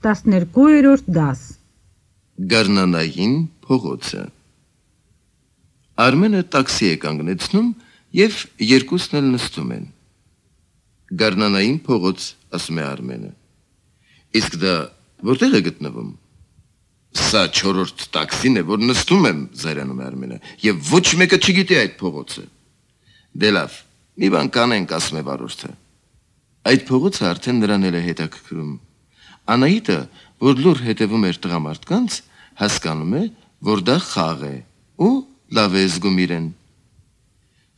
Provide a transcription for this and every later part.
12-րդ դաս Գարնանային փողոցը Արմենը տաքսի է կանգնեցնում եւ երկուսն էլ նստում են Գարնանային փողոց ասում է Արմենը Իսկ դա որտեղ է գտնվում Սա 4-րդ տաքսին է որ նստում եմ զայրանում է Արմենը եւ ոչ մեկը չգիտի այդ փողոցը Դե լավ մի բան կանենք ասում է վարորդը Այդ փողոցը արդեն նրան էլ է հետաքրքրում Անահիտը որ լուր հետևում էր տղամարդկանց հասկանում է որ դա խաղ է ու լավ է զգում իրեն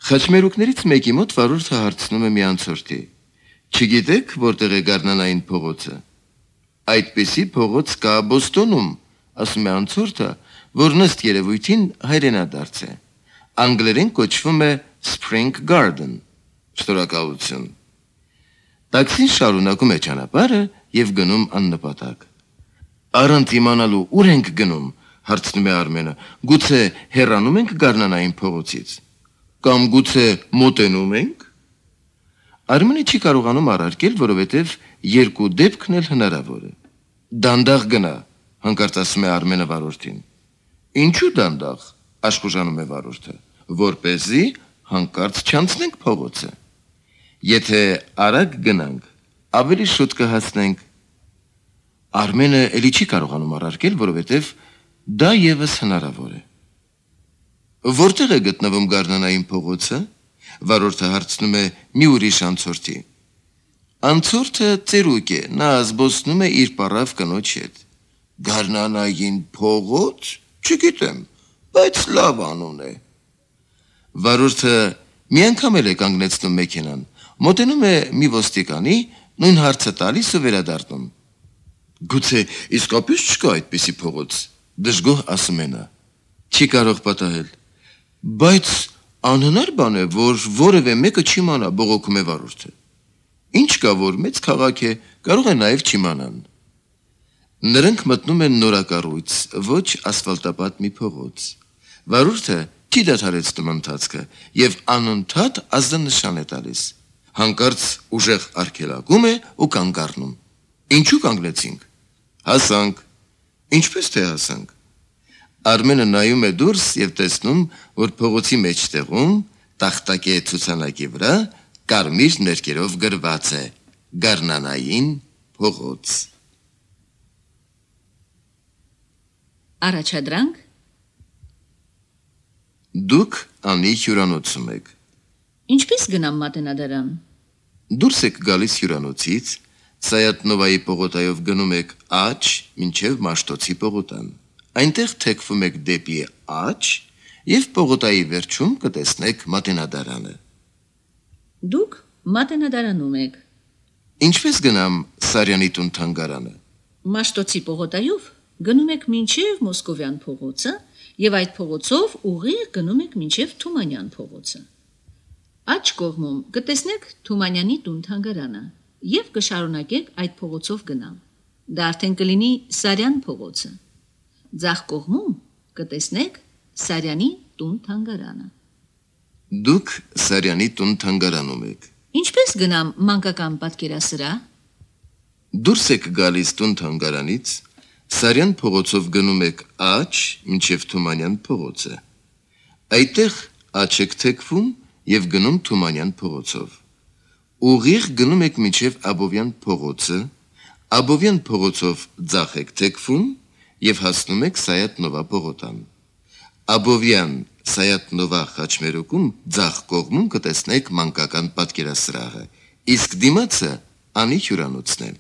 Խաչմերուկներից մեկի մոտ վարորդը հարցնում է մի անցորդի Չգիտեք որտեղ է Գարնանային փողոցը Այդպիսի փողոց կա Բոստոնում ասում է անցորդը որ նստ երևույթին հայրենադարձ է Անգլերեն կոչվում է Spring Garden Շնորհակալություն Տաքսին շարունակում է ճանապարհը եւ գնում աննպատակ Առանց իմանալու ուր ենք գնում հարցնում է Արմենը գուցե հեռանում ենք Գարնանային փողոցից կամ գուցե մոտենում ենք Արմենը չի կարողանում առարկել որովհետեւ երկու դեպքն էլ հնարավոր է Դանդաղ գնա հանկարծ ասում է Արմենը վարորդին Ինչու դանդաղ աշխուժանում է վարորդը որպեսզի հանկարծ չանցնենք փողոցը Եթե արագ գնանք ավելի շուտ կհասնենք Արմենը էլի չի կարողանում առարկել որովհետեւ դա եւս հնարավոր է Որտեղ է գտնվում Գարնանային փողոցը Վարորդը հարցնում է մի ուրիշ անցորդի Անցորդը ծերուկ է նա զբոսնում է իր պարավ կնոջ հետ Գարնանային փողոց չգիտեմ բայց լավ անուն է Վարորդը մի անգամ էլ է կանգնեցնում մեքենան Մոտենում է մի ոստիկանի, նույն հարցը տալիս ու վերադառնում Գուցե իսկապես չկա այդպիսի փողոց Դժգոհ ասում է նա Չի կարող պատահել Բայց անհնար բան է որ որևէ մեկը չիմանա բողոքում է վարորդը Ինչ կա որ մեծ քաղաք է կարող է նաև չիմանան Նրանք մտնում են նորակառույց ոչ ասֆալտապատ մի փողոց Վարորդը չի դադարեցնում ընթացքը եւ անընդհատ ազդանշան է տալիս Հանկարծ ուժեղ արգելակում է ու կանգ առնում Ինչու կանգնեցինք Հասանք Ինչպես թե հասանք Արմենը նայում է դուրս եւ տեսնում որ փողոցի մեջտեղում տախտակե ցուցանակի վրա կարմիր ներկերով գրված է Գարնանային փողոց Առաջադրանք Դուք անի հյուրանոցում եք Ինչպես գնամ մատենադարան Դուրս եք գալիս հյուրանոցից Սայատնովայի պողոտայով գնում եք աջ մինչև Մաշտոցի պողոտան Այնտեղ թեքվում եք դեպի աջ եւ պողոտայի վերջում կտեսնեք մատենադարանը Դուք մատենադարանում եք Ինչպես գնամ Սարյանի տուն թանգարանը Մաշտոցի պողոտայով գնում եք մինչև Մոսկովյան փողոցը եւ այդ փողոցով ուղիղ գնում եք մինչև Թումանյան փողոցը Աջ կողմում կտեսնեք Թումանյանի տուն թանգարանը եւ կշարունակեք այդ փողոցով գնալ Դա արդեն կլինի Սարյան փողոցը Ձախ կողմում կտեսնեք Սարյանի տուն թանգարանը Դուք Սարյանի տուն թանգարանում եք Ինչպես գնամ մանկական պատկերասրահ Դուրս եք գալիս տուն թանգարանից Սարյան փողոցով գնում եք աջ մինչև Թումանյան փողոցը Այդտեղ աջ եք թեքվում եւ գնում Թումանյան փողոցով Ուղիղ գնում եք մինչև Աբովյան փողոցը Աբովյան փողոցով ձախ եք թեքվում եւ հասնում եք Սայատնովա պողոտան Աբովյան Սայատնովա խաչմերուկում ձախ կողմում կտեսնեք մանկական պատկերասրահը իսկ դիմացը անի հյուրանոցն է